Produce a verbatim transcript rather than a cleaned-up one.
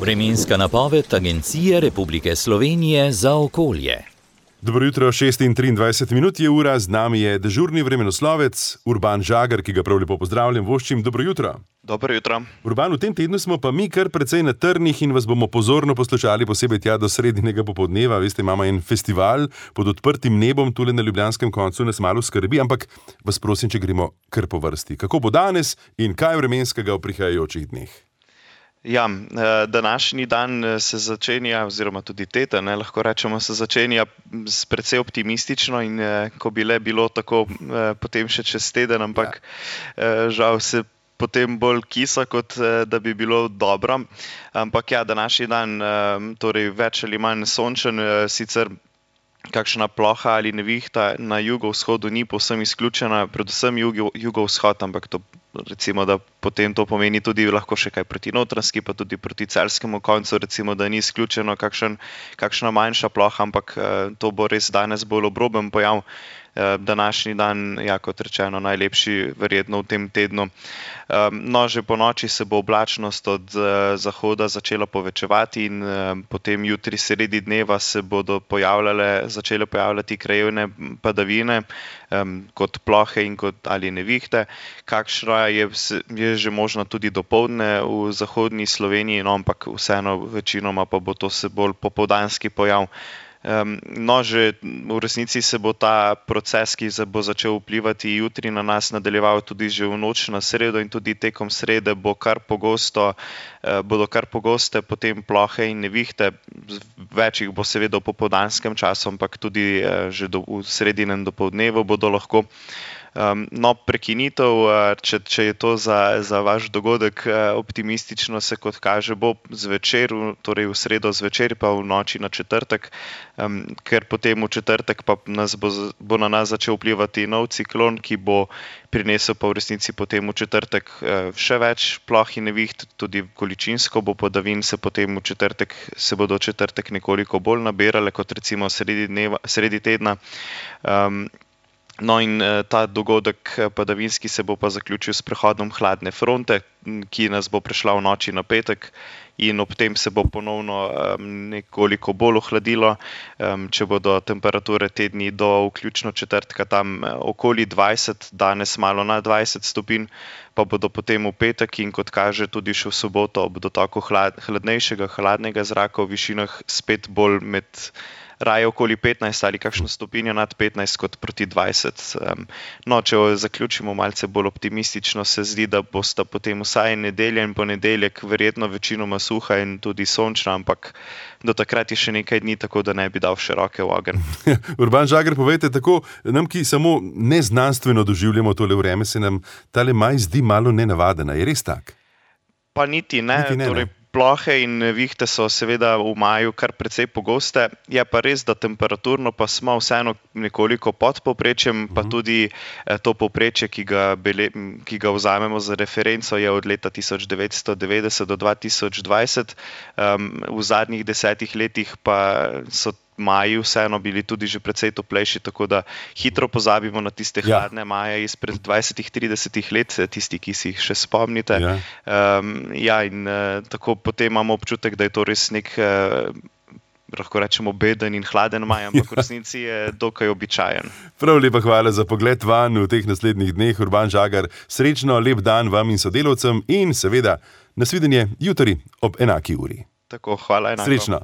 Vremenska napoved Agencije Republike Slovenije za okolje. Dobro jutro, šest in triindvajset minut je ura, z nami je dežurni vremenoslovec Urban Žagar, ki ga prav lepo pozdravljam, voščim dobro jutro. Dobro jutro. Urban, v tem tednu smo pa mi kar precej na trnih in vas bomo pozorno poslušali, posebej tja do sredinega popoldneva. Veste, imamo en festival pod odprtim nebom, tule na ljubljanskem koncu nas malo skrbi, ampak vas prosim, če gremo kar po vrsti. Kako bo danes in kaj vremenskega v prihajajočih dneh? Ja, današnji dan se začenja, oziroma tudi teden, ne, lahko rečemo, se začenja s precej optimistično in ko bi le bilo tako, potem še čez teden, ampak ja. žal se potem bolj kisa, kot da bi bilo dobro. Ampak ja, današnji dan, torej več ali manj sončen, sicer kakšna ploha ali nevihta na jugovzhodu ni povsem izključena, predvsem jugo, jugovzhod, ampak to recimo, da potem to pomeni tudi lahko še kaj proti Notranjski, pa tudi proti celjskemu koncu, recimo, da ni izključeno kakšen, kakšna manjša ploha, ampak to bo res danes bolj obroben pojav. Današnji dan, ja, kot rečeno, najlepši verjetno v tem tednu. No, že po noči se bo oblačnost od zahoda začela povečevati in potem jutri sredi dneva se bodo pojavljale, začele pojavljati krajevne padavine, kot plohe in kot ali nevihte. Kakšna je, je že možno tudi dopoldne v zahodni Sloveniji, no, ampak vseeno večinoma pa bo to se bolj popoldanski pojav. No, že v resnici se bo ta proces, ki se bo začel vplivati jutri na nas, nadaljeval tudi že v noč na sredo in tudi tekom srede bo kar pogosto, bodo kar pogoste potem plohe in nevihte. Več jih bo seveda v popoldanskem času, ampak tudi že do, v sredinem dopoldnevu bodo lahko. No, prekinitev, če, če je to za, za vaš dogodek optimistično, se kot kaže bo zvečer, torej v sredo zvečer pa v noči na četrtek, ker potem v četrtek pa nas bo, bo na nas začel vplivati nov ciklon, ki bo prinesel pa v resnici potem v četrtek še več ploh in neviht, tudi količinsko bo padavin se potem v četrtek, se bodo v četrtek nekoliko bolj nabirale kot recimo sredi dneva, sredi tedna. Um, No in ta dogodek padavinski se bo pa zaključil s prehodom hladne fronte, ki nas bo prišla v noči na petek in ob tem se bo ponovno nekoliko bolj ohladilo, če bodo temperature te dni do vključno četrtka tam okoli dvajset, danes malo nad dvajset stopinj, pa bodo potem v petek in kot kaže tudi še v soboto ob dotoku hlad, hladnejšega, hladnega zraka v višinah spet bolj med raje okoli petnajst ali kakšno stopinjo nad petnajst kot proti dvajset. No, če zaključimo malce bolj optimistično, se zdi, da bosta potem vsaj nedelja in ponedeljek verjetno večinoma suha in tudi sončna, ampak do takrat je še nekaj dni, tako da ne bi dal še roke v ogenj. Urban Žagar, povejte, tako nam, ki samo neznanstveno doživljamo tole vreme, se nam tale maj zdi malo nenavadena. Je res tak? Pa niti ne, niti ne, torej, ne. Plohe in nevihte so seveda v maju kar precej pogoste, je pa res, da temperaturno pa smo vseeno nekoliko pod povprečjem, pa tudi to povprečje, ki ga, bele, ki ga vzamemo za referenco, je od leta tisoč devetsto devetdeset do dva tisoč dvajset. Um, v zadnjih desetih letih pa so maji vseeno bili tudi že precej toplejši, tako da hitro pozabimo na tiste hladne ja. maje izpred dvajsetih, tridesetih let, tisti, ki si jih še spomnite. Ja, um, ja in uh, tako potem imamo občutek, da je to res nek, uh, lahko rečemo, beden in hladen maj, ampak v resnici je dokaj običajen. Prav lepa hvala za pogled van v teh naslednjih dneh. Urban Žagar, srečno, lep dan vam in sodelavcem in seveda nasvidenje jutri ob enaki uri. Tako, hvala enako. Srečno.